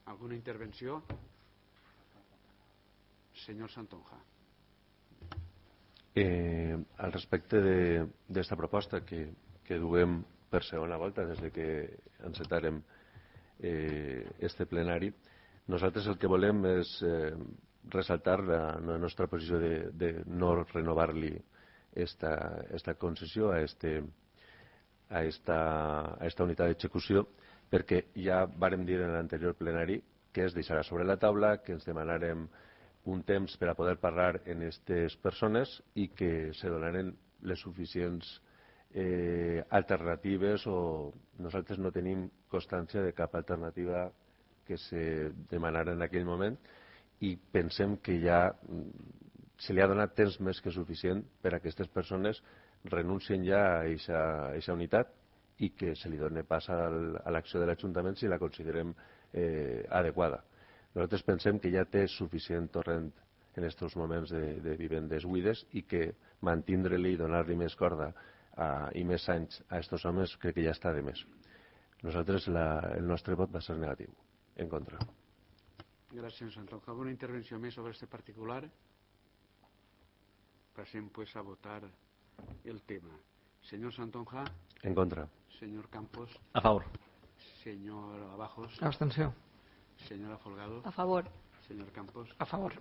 ¿Alguna intervenció? Senyor Santonja. Al respecte d'esta proposta que duem per segona volta des que encetarem este plenari, nosaltres el que volem és ressaltar la nostra posició de no renovar-li esta concessió a esta unitat d'execució, perquè ja vàrem dir en l'anterior plenari que es deixarà sobre la taula, que ens demanarem un temps per a poder parlar en aquestes persones i que se donaren les suficients alternatives, o nosaltres no tenim constància de cap alternativa que se demanara en aquell moment, i pensem que ja se li ha donat temps més que suficient per a que aquestes persones renuncien ja a aquesta unitat i que se li doni pas a l'acció de l'Ajuntament si la considerem adequada. Nosaltres pensem que ja té suficient torrent en aquests moments de vivendes buides i que mantindre-li i donar-li més corda i més anys a aquests homes crec que ja està de més. Nosaltres el nostre vot va ser negatiu, en contra. Gràcies, senyor Santonja. ¿Alguna intervenció més sobre este particular? Passem pues a votar el tema. Senyor Santonja. En contra. Senyor Campos. A favor. Senyor Abajos. Abstenció. Señora Folgado. A favor. Señor Campos. A favor.